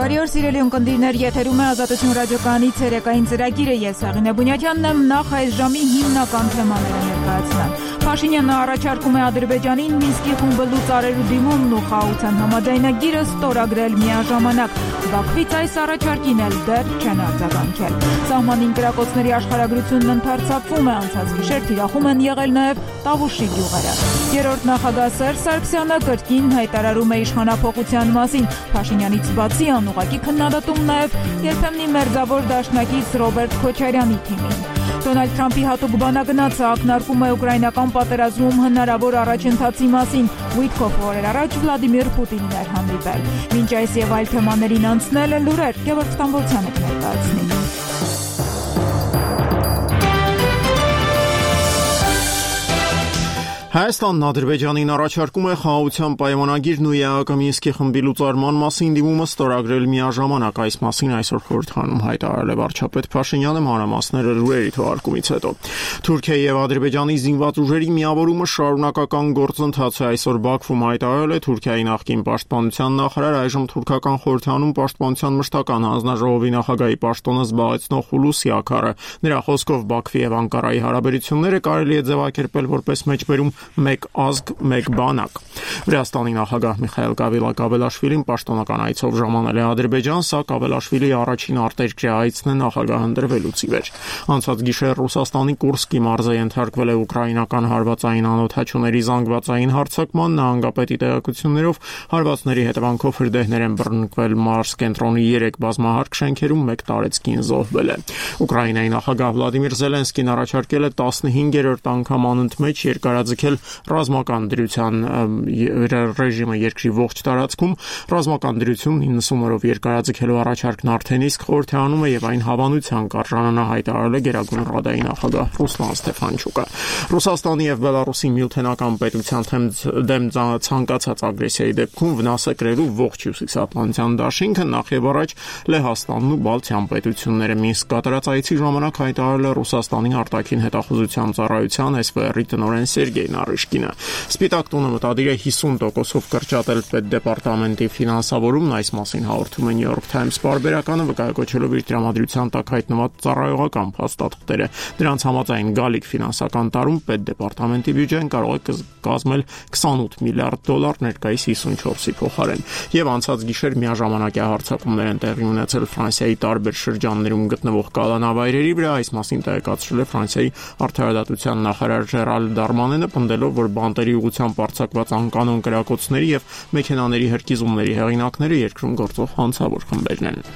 Բարի օր սիրելի ունկնդիրներ, եթերում է Ազատություն ռադիոկայանի ցերեկային ծրագիրը, ես Աղինե Բունյաթյանն եմ, նախ այս ժամի հիմնական թեմաները ներկայացնեմ։ Փաշինյանը առաջարկում է Ադրբեջանին Մինսկի խումբը լուծարելու դիմումն ու խաղաղության համաձայնագիրը ստորագրել միաժամանակ։ Բաքվից այս առաջարկին էլ դեռ չեն արձագանքել։ Սահմանին կրակոցների աշխարհագրությունն ընդարձակվում է, անցած գիշեր թիրախում են եղել նաև Տավուշի գյուղերը։ Երրորդ նախագահ Սերժ Սարգսյանը կրկին հայտարարում է իշխանափոխության մասին։ Փաշինյանից բացի անուղղակի քննադատում նաև երբեմնի մերձավոր դաշնակից Ռոբերտ Քոչարյանի թիմին։ Դոնալդ Թրամփի հատուկ բանագնացը ակնարկում է ուկրաինական պատերազմում հնարավոր առաջընթացի մասին։ Ուիտկոֆ օրեր առաջ Վլադիմիր Պուտինին էր հանդիպել։ Մինչ այս եւ այլ թեմաներին անցնել լուրեր Գևորգ Ստամբոլցյանը կներկայացնի։ Հայաստանն Ադրբեջանին առաջարկում է խաղաղության պայմանագիրն ու ԵԱՀԿ Մինսկի խմբի լուծարման մասին դիմումը ստորագրել միաժամանակ, այս մասին այսօր խորհրդանում հայտարարել է վարչապետ Փաշինյանը մանրամասները լուրերի թողարկումից հետո։ Թուրքիայի եւ Ադրբեջանի զինված ուժերի միավորումը շարունակական գործընթաց է, այսօր Բաքվում հայտարարել է Թուրքիայի նախկին պաշտպանության նախարար, այժմ թուրքական խորհրդանում պաշտպանության մշտական հանձնաժողովի նախագահի պաշտոնը զբաղեցնող Հուլուսի Աքարը։ Նրա խոսքով Բաքվի եւ Անկարայի հարաբերությունները կարելի է ձևակերպել որպես մեջբերում մեկ ազգ, մեկ բանակ։ Վրաստանի նախագահ Միխայել Կավելաշվիլին պաշտոնական այցով ժամանել է Ադրբեջան, սա Կավելաշվիլիի առաջին արտերկրյա այցն է նախագահ ընտրվելուց ի վեր։ Անցած գիշեր Ռուսաստանի Կուրսկի մարզը ենթարկվել է ուկրաինական հարվածային անօդաչուների զանգվածային հարձակման, նահանգապետի տեղեկություններով հարվածների հետևանքով հրդեհներ են բռնկվել մարզ կենտրոնի 3 բազմահարկ շենքերում, 1 տարեցկին զոհվել է։ Ուկրաինայի նախագահ Վլադիմիր Զելենսկին առաջարկել է 15-րդ անգամ անընդմեջ երկարաձգել ռազմական դրության ռեժիմը երկրի ողջ տարածքում։ Ռազմական դրություն 90 օրով երկարաձգելու առաջարկն արդեն իսկ խորհրդանում է եւ այն հավանության կարժանանա, հայտարարել է Գերագույն Ռադայի նախագահ Ռուսլան Ստեփանչուկը։ Ռուսաստանի եւ Բելարուսի միութենական պետության դեմ ցանկացած ագրեսիայի դեպքում վնաս է կրելու ողջ Հյուսիսատլանտյան դաշինքը, նախ եւ առաջ Լեհաստանն ու Բալթյան պետությունները։ Մինսկ կատարած այցի ժամանակ հայտարարել է Ռուսաստանի արտաքին հետախուզության ծառայության SVR-ի տնօրեն Սերգեյ Նարիշկինը։ Սպիտակ տունը մտադիր է 50%-ով կրճատել պետդեպարտամենտի ֆինանսավորումն, այս մասին հաղորդում է New York Times պարբերականը, վկայակոչելով իր տրամադրության տակ հայտնված ծառայողական փաստաթղթերը։ Դրանց համաձայն գալիք ֆինանսական տարում պետդեպարտամենտի բյուջեն կարող է կազմել $28 միլիարդ, ներկայիս 54-ի փոխարեն։ Եվ անցած գիշեր միաժամանակյա հարձակումներ են տեղի ունեցել Ֆրանսիայի տարբեր շրջաններում գտնվող կալանավայրերի վրա, այս մասին տեղեկացրել է Ֆրանսիայի արդարադատության նախարար Ժերալ Դարմանենը, պնդելով, որ բանտերի ուղղությամբ արձակված անկանոն կրակոցների եւ մեքենաների հրկիզումների հեղինակները երկրում գործող հանցավոր խմբերն են։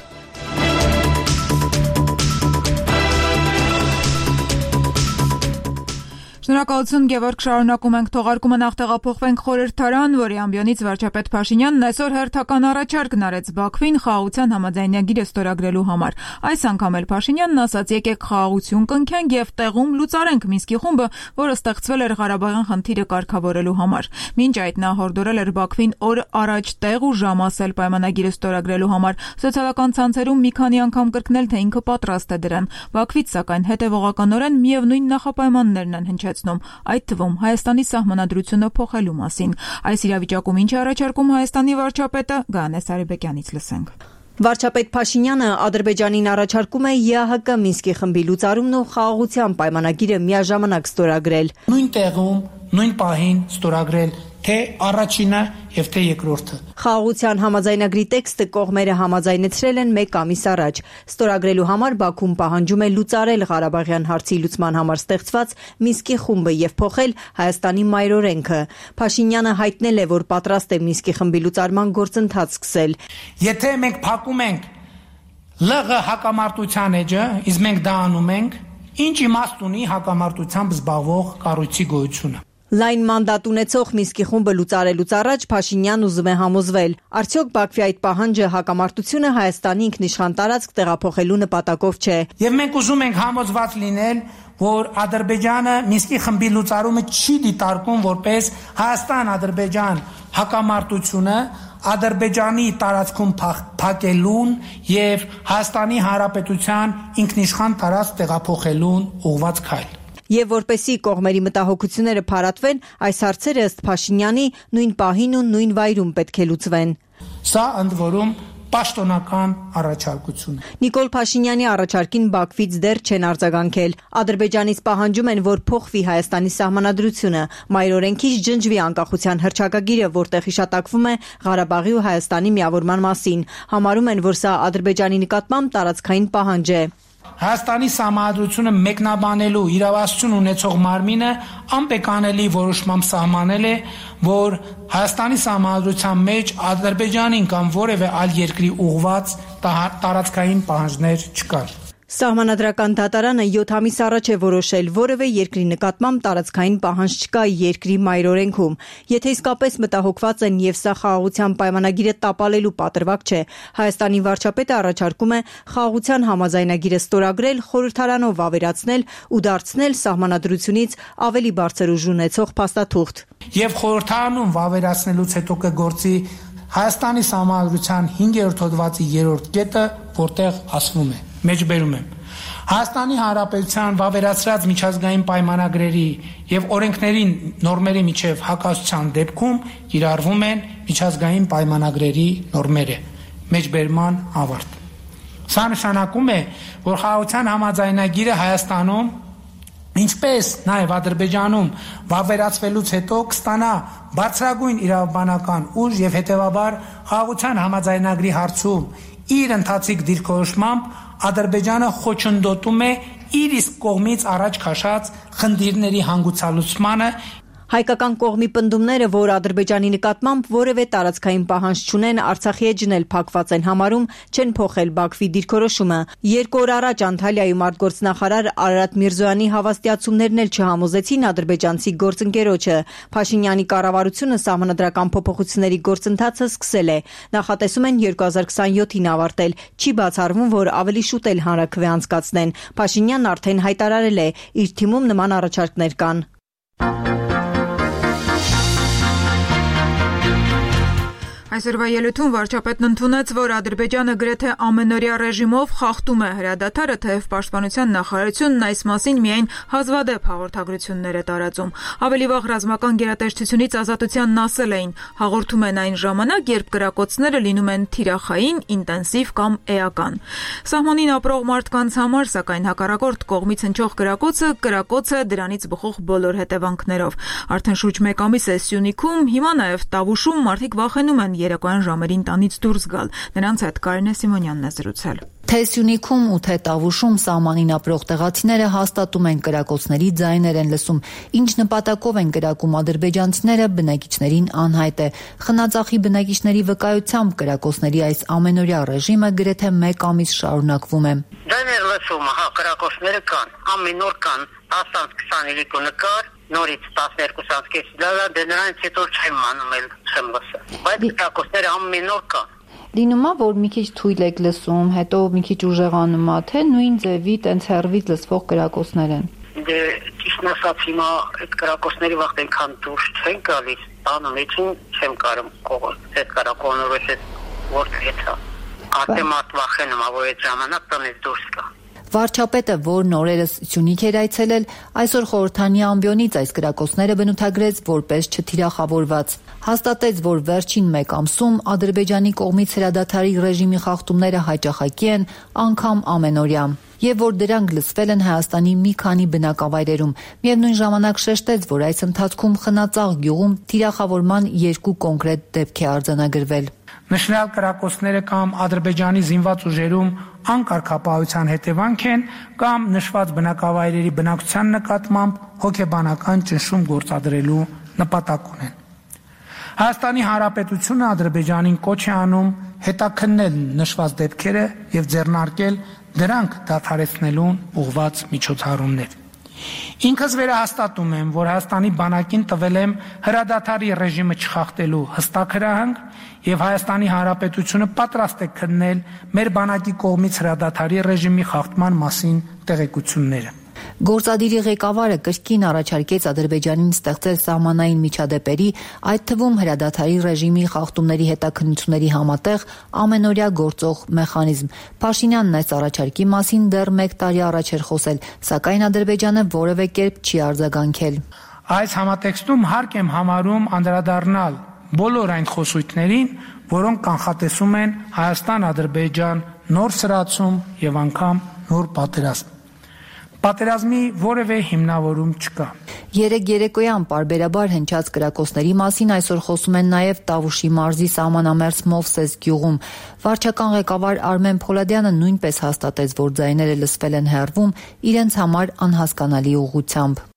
Շնորհակալություն Գևորգ, շարունակում ենք թողարկումը, նախ տեղափոխվենք խորհրդարան, որի ամբիոնից վարչապետ Փաշինյանն այսօր հերթական առաջարկն արեց Բաքվին խաղաղության համաձայնագիրը ստորագրելու համար։ Այս անգամ էլ Փաշինյանն ասաց՝ եկեք խաղաղություն կնքենք եւ տեղում լուծարենք Մինսկի խումբը, որը ստեղծվել էր Ղարաբաղյան խնդիրը կարգավորելու համար։ Մինչ այդ նա հորդորել էր Բաքվին օր առաջ տեղ ու ժամ ասել պայմանագիրը ստորագրելու համար։ Սոցիալական ցանցերում մի քանի անգամ կրկնել, թե ինքը պատրաստ է դրան։ Բաքվից սակայն հետևողականորեն միևնույն նախապայմաններն են հնչեցնում, այդ թվում Հայաստանի սահմանադրությունը փոխելու մասին։ Այս իրավիճակում ինչ է առաջարկում Հայաստանի վարչապետը, Գայանե Սարիբեկյանից լսենք։ Վարչապետ Փաշինյանը Ադրբեջանին առաջարկում է ԵԱՀԿ Մինսկի խմբի լուծարումն ու խաղաղության պայմանագիրը միաժամանակ ստորագրել։ Նույն տեղում, նույն պահին ստորագրել թե առաջինը եւ թե երկրորդը։ Խաղաղության համաձայնագրի տեքստը կողմերը համաձայնեցրել են 1 ամիս առաջ։ Ստորագրելու համար Բաքուն պահանջում է լուծարել Ղարաբաղյան հարցի լուծման համար ստեղծված Մինսկի խումբը եւ փոխել Հայաստանի մայրօրենքը։ Փաշինյանը հայտնել է, որ պատրաստ է Մինսկի խմբի լուծարման գործընթաց սկսել։ Եթե մենք փակում ենք ԼՂ հակամարտության էջը, իսկ մենք դա անում ենք, ինչ իմաստ ունի հակամարտությամբ զբաղվող կառույցի գոյությունը։ Լայն մանդատ ունեցող Մինսկի խումբը լուծարելուց առաջ Փաշինյանն ուզում է համոզվել, արդյոք Բաքվի այդ պահանջը հակամարտությունը Հայաստանի ինքնիշխան տարածք տեղափոխելու նպատակով չէ։ Եվ մենք ուզում ենք համոզված լինել, որ Ադրբեջանը Մինսկի խմբի լուծարումը չի դիտարկում որպես Հայաստան-Ադրբեջան հակամարտությունը, Ադրբեջանի տարածքում փակելուն եւ Հայաստանի Հանրապետության ինքնիշխան տարածք տեղափոխելուն ուղղված քայլ։ Եվ որպեսի կողմերի մտահոգությունները փարատվեն, այս հարցերը ըստ Փաշինյանի նույն պահին ու նույն վայրում պետք է լուծվեն։ Սա ընդ որում պաշտոնական առաջարկություն է։ Նիկոլ Փաշինյանի առաջարկին Բաքվից դեռ չեն արձագանքել։ Ադրբեջանից պահանջում են, որ փոխվի Հայաստանի սահմանադրությունը, մայրօրենքից ջնջվի անկախության հռչակագիրը, որտեղ հիշատակվում է Ղարաբաղի ու Հայաստանի միավորման մասին։ Համարում են, որ սա Ադրբեջանի նկատմամբ տարածքային պահանջ է։ Հայաստանի սահմանադրությունը մեկնաբանելու իրավասություն ունեցող մարմինը անպեկանելի որոշմամբ սահմանել է, որ Հայաստանի սահմանադրության մեջ Ադրբեջանին կամ որևէ այլ երկրի ուղղված տարածքային պահանջներ չկան։ Սահմանադրական դատարանը 7 ամիս առաջ է որոշել, որևէ երկրի նկատմամբ տարածքային պահանջ չկա երկրի մայրօրենքում։ Եթե իսկապես մտահոգված են եւ սա խաղաղության պայմանագիրը տապալելու պատրվակ չէ, Հայաստանի վարչապետը առաջարկում է խաղաղության համաձայնագիրը ստորագրել, խորհրդարանով ավերացնել ու դարձնել սահմանադրությունից ավելի բարձր ուժ ունեցող փաստաթուղթ։ Եվ խորհրդարանում վավերացնելուց հետո կգործի Հայաստանի սահմանադրության 5-րդ հոդվածի 3-րդ կետը, որտեղ ասվում է. Մեջբերում եմ. Հայաստանի Հանրապետության վավերացրած միջազգային պայմանագրերի եւ օրենքների նորմերի միջև հակասության դեպքում կիրառվում են միջազգային պայմանագրերի նորմերը։ Մեջբերման ավարտ։ Սա նշանակում է, որ խաղաղության համաձայնագիրը Հայաստանում, ինչպես նաեւ Ադրբեջանում վավերացվելուց հետո կստանա բարձրագույն իրավաբանական ուժ եւ հետեւաբար խաղաղության համաձայնագրի հարցում իր ընթացիկ դիրքորոշմամբ Ադրբեջանը խոչընդոտում է իր իսկ կողմից առաջ քաշած խնդիրների հանգուցալուծմանը։ Հայկական կողմի պնդումները, որ Ադրբեջանի նկատմամբ որևէ տարածքային պահանջ չունեն, Արցախի հետ ջնել փակված են համարում, չեն փոխել Բաքվի դիրքորոշումը։ 2 օր առաջ Անտալիայում արտգործնախարար Արարատ Միրզոյանի հավաստիացումներն էլ չհամոզեցին ադրբեջանցի գործընկերոջը։ Փաշինյանի կառավարությունը սահմանադրական փոփոխությունների գործընթացը սկսել է։ Նախատեսում են 2027-ին ավարտել։ Չի բացառվում, որ ավելի շուտ էլ հանրաքվե անցկացնեն։ Փաշինյանն արդեն հայտարարել է, իր թիմում նման առաջարկներ կան։ Այսօրվա ելույթում վարչապետն ընդունեց, որ Ադրբեջանը գրեթե ամենօրյա ռեժիմով խախտում է հրադադարը, թեև Պաշտպանության նախարարությունն այս մասին միայն հազվադեպ հաղորդագրություններ է տարածում։ Ավելի վաղ ռազմական գերատեսչությունից Ազատությանն ասել էին, հաղորդում են այն ժամանակ, երբ կրակոցները լինում են թիրախային, ինտենսիվ կամ էական։ Սահմանին ապրող մարդկանց համար, սակայն հակառակորդ կողմից հնչող կրակոց է դրանից բխող բոլոր հետևանքներով։ Արդեն շուրջ 1 ամիս է Սյունիքում, հիմա նաև Տավուշում մարդիկ վախենում են երեկոյան ժամերին տանից դուրս գալ։ Նրանց հետ Կարինե Սիմոնյանն է զրուցել։ Թե Սյունիքում ու թե Տավուշում սահմանին ապրող տեղացիները հաստատում են կրակոցների ձայներ են լսում։ Ինչ նպատակով են կրակում ադրբեջանցիները, բնակիչներին անհայտ է։ Խնածախի բնակիչների վկայությամբ կրակոցների այս ամենօրյա ռեժիմը գրեթե 1 ամիս շարունակվում է։ Ձայներ լսում, կրակոցները կան, ամեն օր կան, 10-25 նկար, նորից 12-ից դե նրանից հետո չեմ մանում էլ չեմ լսել։ Բայց կրակոցները ամեն օր կան։ Լինում է, որ մի քիչ թույլ եք լսում, հետո մի քիչ ուժեղանում է, թե նույն ձևի տենց հեռվից լսվող կրակոցներ են։ Դե ճիշտ ասած հիմա այդ կրակոցների վաղ այնքան դուրս չեն գալիս, տանը մեջին չեմ կարում կողոլ, այդ կրակոնորից որտեղից է։ Արդեն մարդ վախենում է, որ այդ ժամանակ տնից դուրս գա։ Վարչապետը, որն օրերս Սյունիք էր այցելել, այսօր խորհրդանի ամբիոնից այս կրակոցները բնութագրեց որպես չթիրախավորված։ Հաստատեց, որ վերջին 1 ամսում Ադրբեջանի կողմից հրադադարի ռեժիմի խախտումները հաճախակի են, անգամ ամենօրյա, եւ որ դրանք լսվել են Հայաստանի մի քանի բնակավայրերում։ Միևնույն ժամանակ շեշտեց, որ այս ընթացքում Խնածաղ գյուղում թիրախավորման 2 կոնկրետ դեպք է արձանագրվել։ Նշնալ կրակոցները կամ Ադրբեջանի զինված ուժերում անկարգապահության հետևանք են կամ նշված բնակավայրերի բնակության նկատմամբ հոգեբանական ճնշում գործադրելու նպատակ ունեն։ Հայաստանի Հանրապետությունը Ադրբեջանին կոչ է անում հետաքննել նշված դեպքերը եւ ձեռնարկել դրանք դադարեցնելուն ուղղված միջոցառումներ։ Ինքս վերահաստատում եմ, որ Հայաստանի բանակին տվել եմ հրադադարի ռեժիմը չխախտելու հստակ հրահանգ եւ Հայաստանի Հանրապետությունը պատրաստ է քննել մեր բանակի կողմից հրադադարի ռեժիմի խախտման մասին տեղեկությունները։ Գործադիրի ղեկավարը կրկին առաջարկեց Ադրբեջանին ստեղծել սահմանային միջադեպերի, այդ թվում հրադադարի ռեժիմի խախտումների հետաքննությունների համատեղ ամենօրյա գործող մեխանիզմ։ Փաշինյանն այս առաջարկի մասին դեռ 1 տարի առաջ էր խոսել, սակայն Ադրբեջանը որևէ կերպ չի արձագանքել։ Այս համատեքստում հարկ եմ համարում անդրադառնալ բոլոր այն խոսույթներին, որոնք կանխատեսում են Հայաստան-Ադրբեջան նոր սրացում եւ անգամ նոր պատերազմ։ Պատերազմի որևէ հիմնավորում չկա։ Երեկ երեկոյան պարբերաբար հնչած կրակոցների մասին այսօր խոսում են նաև Տավուշի մարզի սահմանամերձ Մովսես գյուղում։ Վարչական ղեկավար Արմեն Փոլադյանը նույնպես հաստատեց, որ ձայները լսվել են հեռվում իրենց համար անհասկանալի ուղղությամբ։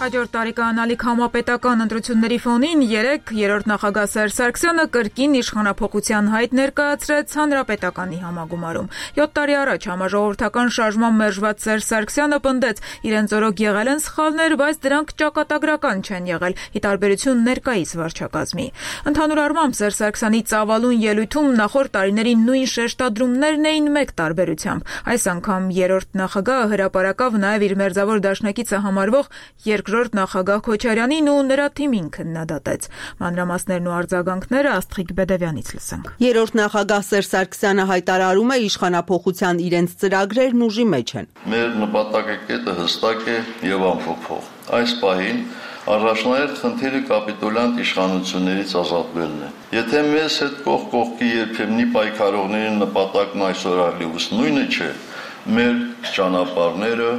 Հաջորդ տարի կանալիք համապետական ընտրությունների ֆոնին երրորդ նախագահ Սերժ Սարգսյանը կրկին իշխանափոխության հայտ ներկայացրեց հանրապետականի համագումարում։ 7 տարի առաջ համաժողովրդական շարժման մերժված Սերժ Սարգսյանը պնդեց, իրենց օրոք եղել են սխալներ, բայց դրանք ճակատագրական չեն եղել, ի տարբերություն ներկայիս վարչակազմի։ Ընդհանուր առմամբ Սերժ Սարգսյանի ծավալուն ելույթում նախորդ տարիների նույն շեշտադրումներն էին մեկ տարբերությամբ։ Այս անգամ երրորդ նախագահը հրապարակավ նաև իր մերձավոր դաշնակիցը համարվող երկրորդ նախագահ Քոչարյանին ու նրա թիմին քննադատեց։ Մանրամասներն ու արձագանքները Աստղիկ Բեդևյանից լսենք։ Երրորդ նախագահ Սերժ Սարգսյանը հայտարարում է իշխանափոխության իրենց ծրագրերն ուժի մեջ են։ Մեր նպատակակետը հստակ է եւ անփոփոխ։ Այս պահին առաջնահերթ խնդիրը կապիտուլյանտ իշխանություններից ազատվելն է։ Եթե մեզ հետ կողք կողքի երբեմնի պայքարողների նպատակն այսօր այլևս նույնը չէ, մեր ճանապարհները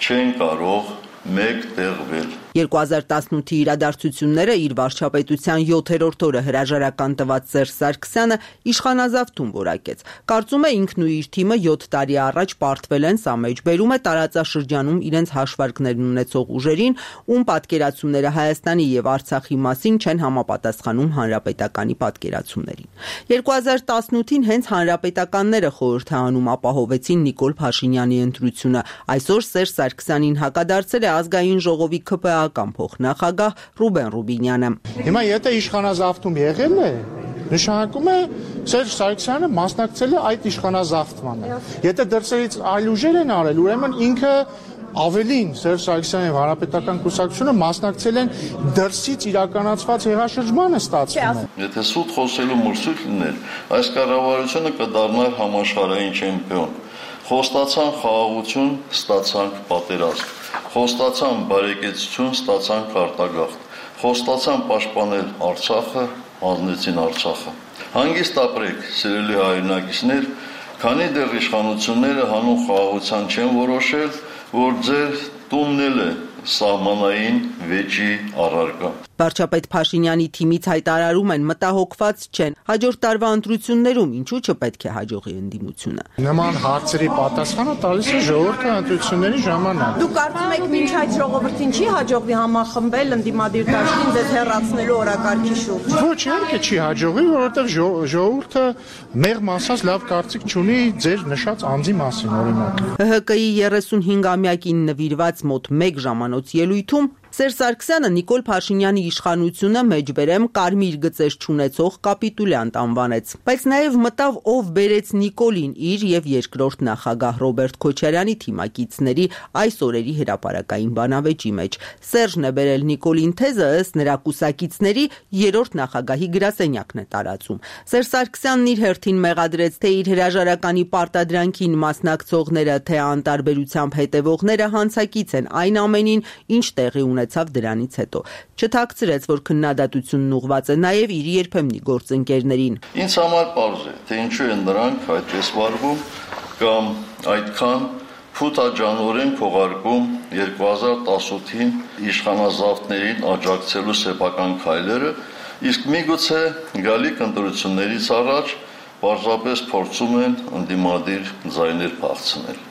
չեն կարող մեկ տեղվել։ 2018-ի իրադարձությունները իր վարչապետության 7-րդ օրը հրաժարական տված Սերժ Սարգսյանը իշխանազավթում որակեց։ Կարծում է ինքն ու իր թիմը 7 տարի առաջ պարտվել են, սա մեջբերում է տարածաշրջանում իրենց հաշվարկներն ունեցող ուժերին, ում պատկերացումները Հայաստանի եւ Արցախի մասին չեն համապատասխանում հանրապետականի պատկերացումներին։ 2018-ին հենց հանրապետականները խորհրդանում ապահովեցին Նիկոլ Փաշինյանի ընտրությունը։ Այսօր Սերժ Սարգսյանին հակադարձել է ազգային ժողովի ԿՊԱ-ական փոխնախագահ Ռուբեն Ռուբինյանը։ Հիմա եթե իշխանազավթում եղել է, նշանակում է Սերժ Սարգսյանը մասնակցել է այդ իշխանազավթմանը։ Եթե դրսերից այլ ուժեր են արել, ուրեմն ինքը ավելին Սերժ Սարգսյանի հանրապետական կուսակցությունը մասնակցել են դրսից իրականացված հեղաշրջմանը ստացվում է։ Եթե սուտ խոսելու մրցույթ լիներ, այս կառավարությունը կդառնար համաշխարհային չեմպիոն։ Խոստացան խաղաղություն, ստացանք պատերազմ։ Խոստացան բարեկեցություն, ստացանք արտագաղթ։ Խոստացան պաշտպանել Արցախը, հանձնեցին Արցախը։ Հանգիստ ապրեք, սիրելի հայրենակիցներ, քանի դեռ իշխանությունները հանուն խաղաղության չեն որոշել, որ ձեր տունն էլ է սահմանային վեճի առարկա։ Վարչապետ Փաշինյանի թիմից հայտարարում են մտահոգված չեն։ Հաջորդ տարվա ընտրություններում ինչու չպետք է հաջողի ընդդիմությունը։ Նման հարցերի պատասխանը տալիս է ժողովրդի ընտրությունների ժամանակ։ Դուք կարծում եք մինչ այդ ժողովրդին չի հաջողվի համախմբել ընդդիմադիր դաշտին ձեզ հեռացնելու օրակարգի շուրջ։ Ոչ, իհարկե չի հաջողվի, որովհետև ժողովուրդը մեղմ ասած լավ կարծիք չունի ձեր նշած անձի մասին, օրինակ։ ՀՀԿ-ի 35-ամյակին նվիրված մոտ 1 ժամանոց ելույթում Սերժ Սարգսյանը Նիկոլ Փաշինյանի իշխանությունը մեջբերեմ կարմիր գծեր չունեցող կապիտուլյանտ անվանեց, բայց նաև մտավ ով բերեց Նիկոլին իր եւ երկրորդ նախագահ Ռոբերտ Քոչարյանի թիմակիցների այս օրերի հրապարակային բանավեճի մեջ։ Սերժն է բերել Նիկոլին թեզը, ըստ նրա կուսակիցների երրորդ նախագահի գրասենյակն է տարածում։ Սերժ Սարգսյանն իր հերթին մեղադրեց թե իր հրաժարականի պարտադրանքին մասնակցողները, թե անտարբերությամբ հետևողները հանցակից են այն ամենին, ինչ տեղի ունեցավ դրանից հետո։ Չթաքցրեց, որ քննադատությունն ուղղված է նաև իր երբեմնի գործընկերներին։ Ինձ համար պարզ է, թե ինչու են նրանք այդպես վարվում կամ այդքան փութաջանորեն քողարկում 2018-ին իշխանազավթներին աջակցելու սեփական քայլերը, իսկ միգուցե գալիք ընտրություններից առաջ պարզապես փորձում են ընդդիմադիր ձայներ փախցնել։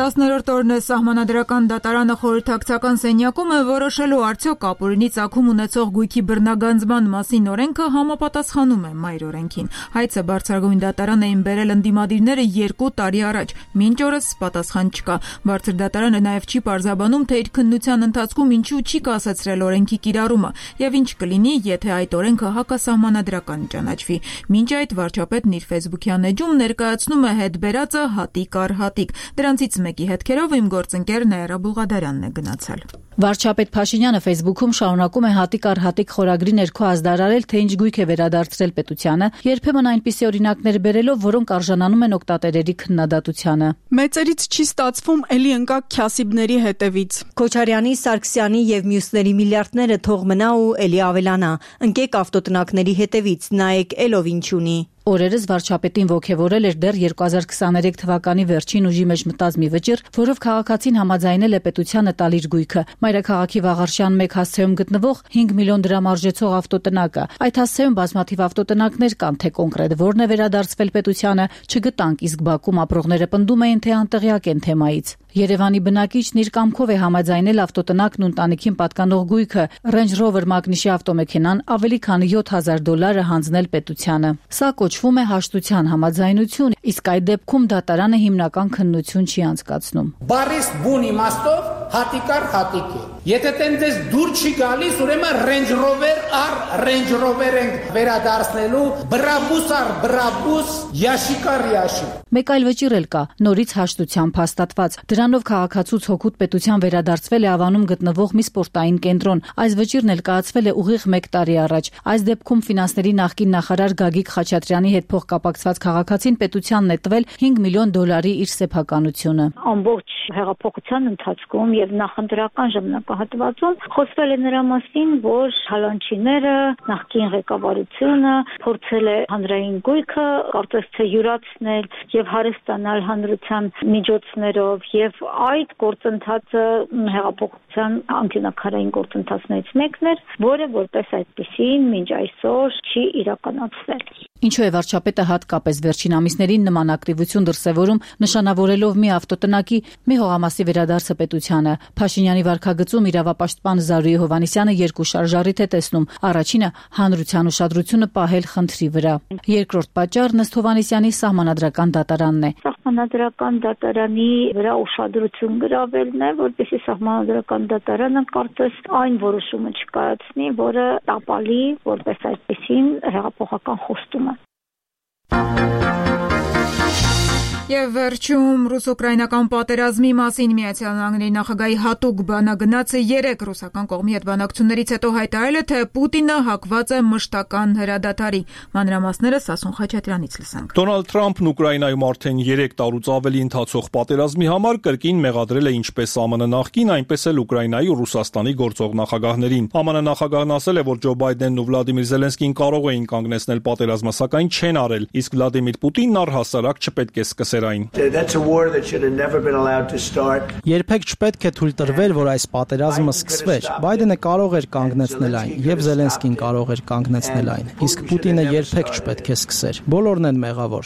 10-րդ օրն է սահմանադրական դատարանը խորհրդակցական սենյակում է որոշելու արդյոք ապօրինի ծագում ունեցող գույքի բռնագանձման մասին օրենքը համապատասխանում է մայր օրենքին։ Հայցը բարձրագույն դատարան էին բերել ընդդիմադիրները 2 տարի առաջ, մինչ օրս պատասխան չկա։ Բարձր դատարանը նաև չի պարզաբանում, թե իր քննության ընթացքում ինչու չի կասեցրել օրենքի կիրառումը եւ ինչ կլինի, եթե այդ օրենքը հակասահմանադրական ճանաչվի։ Մինչ այդ վարչապետն իր Facebook-յան էջում ներկայացնում է հետ բերածը հատիկ առ հատիկ։ Դրանցից մեկի հետքերով իմ գործընկեր Նաիրա Բուղադարյանն է գնացել։ Վարչապետ Փաշինյանը Facebook-ում շարունակում է հատիկ առ հատիկ խորագրի ներքո ազդարարել, թե ինչ գույք է վերադարձրել պետությանը, երբեմն այնպիսի օրինակներ բերելով, որոնք արժանանում են օգտատերերի քննադատությանը։ Մեծերից չի ստացվում, էլի ընկա Քյասիբների հետևից։ Քոչարյանի, Սարգսյանի եւ մյուսների միլիարդները թող մնա ու էլի ավելանա։ Ընկեք ավտոտնակների հետևից, նայեք էլով ինչ ունի։ Օրերս վարչապետին ոգևորել էր դեռ 2023 թվականի վերջին ուժի մեջ մտած մի վճիռ, որով քաղաքացին համաձայնել է պետությանը տալ իր գույքը։ Մայրաքաղաքի Վաղարշյան 1 հասցեում գտնվող 5 միլիոն դրամ արժեցող ավտոտնակը։ Այդ հասցեում բազմաթիվ ավտոտնակներ կան, թե կոնկրետ որն է վերադարձվել պետությանը, չգտանք, իսկ Բաքում ապրողները պնդում էին, թե անտեղյակ են թեմայից։ Երևանի բնակիչն իր կամքով է համաձայնել ավտոտնակն ու ընտանիքին պատկանող գույքը Range Rover մագնիշի ավտոմեքենան ավելի քան $7,000 հանձնել պետությանը։ Սա կոչվում է հաշտության համաձայնություն, իսկ այդ դեպքում դատարանը հիմնական քննություն չի անցկացնում։ Բարիս բուն իմաստով հատիկար հատիկ է։ Եթե տենց դուր չի գալիս, ուրեմն Range Rover առ Range Rover ենք վերադարձնելու, բրաբուս առ բրաբուս, յաշիկ առ յաշիկ։ Մեկ այլ վճիռ էլ կա, նորից հաշտությամբ հաստատված։ Դրանով քաղաքացուց հոգուտ պետության վերադարձվել է Ավանում գտնվող մի սպորտային կենտրոն։ Այս վճիռն էլ կայացվել է ուղիղ 1 տարի առաջ։ Այս դեպքում ֆինանսների նախկին նախարար Գագիկ Խաչատրյանի հետ փոխկապակցված քաղաքացին պետությանն է տվել $5 միլիոն իր սեփականությունը։ Ամբողջ հեղափոխության ընթացքում եւ նախընտրական ժամանակահատվածում խոսվել է նրա մասին, որ հալանչիները, նախկին ղեկավարությունը փորձել է հանրային գույքը, կարծես թե յուրացնել եւ հարստանալ հանրության միջոցներով եւ այդ գործընթացը հեղափոխության անկյունակարային գործընթացներից մեկն էր, որը որպես այդպեսին մինչ այսօր չի իրականացվել։ Ինչու է վարչապետը հատկապես վերջին ամիսներին նման ակտիվություն դրսևորում, նշանավորելով մի ավտոտնակի, մի հողամասի վերադարձը պետությանը։ Փաշինյանի վարքագծում իրավապաշտպան Զարուհի Հովհաննիսյանը 2 շարժառիթ է տեսնում։ Առաջինը հանրության ուշադրությունը պահել խնդրի վրա։ Երկրորդ պատճառն ըստ Հովհաննիսյանի սահմանադրական դատարանն է։ Սահմանադրական դատարանի վրա ուշադրություն գրավելն է, որպեսզի սահմանադրական դատարանը կարծես այն որոշումը չկայացնի, որը տապալի որպես այդպեսին հեղափոխական խոստում է։ Եվ վերջում ռուս-ուկրաինական պատերազմի մասին Միացյալ Նահանգների նախագահի հատուկ բանագնացը 3 ռուսական կողմի հետ բանակցություններից հետո հայտարարել է, թե Պուտինը հակված է մշտական հրադադարի։ Մանրամասները Սասուն Խաչատրյանից լսանք։ Դոնալդ Թրամփն Ուկրաինայում արդեն 3 տարուց ավելի ընթացող պատերազմի համար կրկին մեղադրել է ինչպես ԱՄՆ նախկին, այնպես էլ Ուկրաինայի ու Ռուսաստանի գործող նախագահներին։ ԱՄՆ նախագահն ասել է, որ Ջո Բայդենն ու Վլադիմիր Զելենսկին կարող էին կանգնեցնել պատերազմը, սակայն չեն արել, իսկ Վլադիմիր Պուտինն առհասարակ չպետք է սկսեր այն։ Երբեք չպետք է թույլ տրվել, որ այս պատերազմը սկսվեր։ Բայդենը կարող էր կանգնեցնել այն, եւ Զելենսկին կարող էր կանգնեցնել այն, իսկ Պուտինը երբեք չպետք է սկսեր։ Բոլորն են մեղավոր։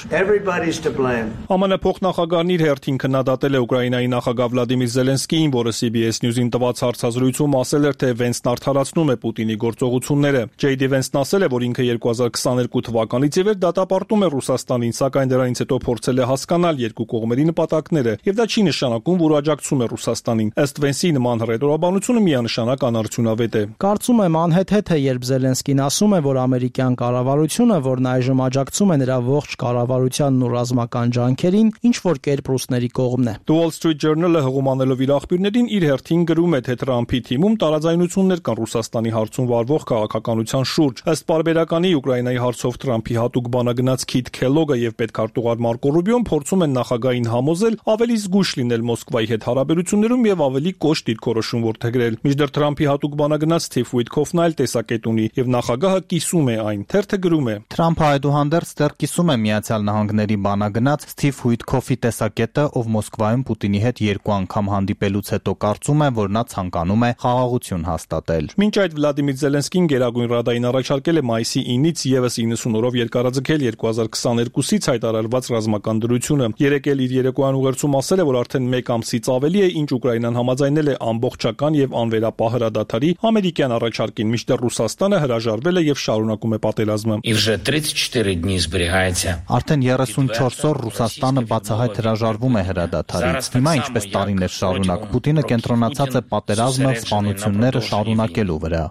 ԱՄՆ փոխնախագահն իր հերթին քննադատել է Ուկրաինայի նախագահ Վլադիմիր Զելենսկիին, որը CBS News-ին տված հարցազրույցում ասել էր, թե Վենսն արդարացնում է Պուտինի գործողությունները։ Ջեյ Վենսն ասել է, որ ինքը 2022 թվականից ի վեր դատապարտում է Ռուսաստանին, սակայն դրանից հետո փորձել է հասկանալ երկու կողմերի նպատակները, եւ դա չի նշանակում, որ աջակցում է Ռուսաստանին։ Ըստ Վենսի նման հռետորաբանությունը միանշանակ անարդյունավետ է։ Կարծում եմ անհեթեթ է, երբ Զելենսկին ասում է, որ ամերիկյան կառավարությունը, որն այժմ աջակցում է նրա ողջ կառավարությանն ու ռազմական ջանքերին, ինչ որ կերպ ռուսների կողմն է։ The Wall Street Journal-ը հղումանելով իր աղբյուրներին իր հերթին գրում է, թե Թրամփի թիմում տարաձայնություններ կան Ռուսաստանի հարցում վարվող քաղաքականության շուրջ։ Ըստ պարբերականի Ուկրաինայի հարցով Թրամփի հատուկ բանագնաց Քիթ Քելոգը եւ պետքարտուղար Մարկո Ռուբիոն փորձում են նախագահային համոզել ավելի զգույշ լինել Մոսկվայի հետ հարաբերություններում եւ ավելի կոշտ դիրքորոշում որդեգրել։ Մինչդեռ Թրամփի հատուկ բանագնաց Սթիվ Ուիթքոֆն այլ տեսակետ ունի եւ նախագահը կիսում է այն։ Թերթը գրում է. Թրամփը այդուհանդերձ դեռ կիսում է Միացյալ Նահանգների բանագնաց Սթիվ Ուիթքոֆի տեսակետը, ով Մոսկվայում Պուտինի հետ 2 անգամ հանդիպելուց հետո կարծում է, որ նա ցանկանում է խաղաղություն հաստատել։ Մինչ այդ Վլադիմիր Զելենսկին Գերագույն Ռադային առաջարկել է մայիսի 9-ից եւս 90 օրով երկարաձգել 2022-ից հայտարարված ռազմական դրությունը։ Երեկ էլ իր երեկոյան ուղերձում ասել է, որ արդեն 1 ամսից ավելի է, ինչ Ուկրաինան համաձայնել է ամբողջական եւ անվերապահ հրադադարի ամերիկյան առաջարկին, մինչդեռ Ռուսաստանը հրաժարվել է եւ շարունակում է պատերազմը։ Արդեն 34 օր Ռուսաստանը բացահայտ հրաժարվում է հրադադարից։ Հիմա ինչպես տարիներ շարունակ Պուտինը կենտրոնացած է պատերազմը, սպանությունները շարունակելու վրա։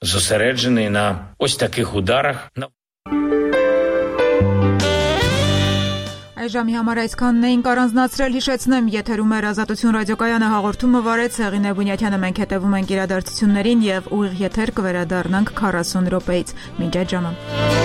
Այժմի համար այսքանն էինք առանձնացրել, հիշեցնեմ, եթերում էր Ազատություն ռադիոկայանը, հաղորդումը վարեց Հեղինե Բունյաթյանը, մենք հետևում ենք իրադարձություններին եւ ուղիղ եթեր կվերադառնանք 40 րոպեից։ Մինչ այդ ժամը։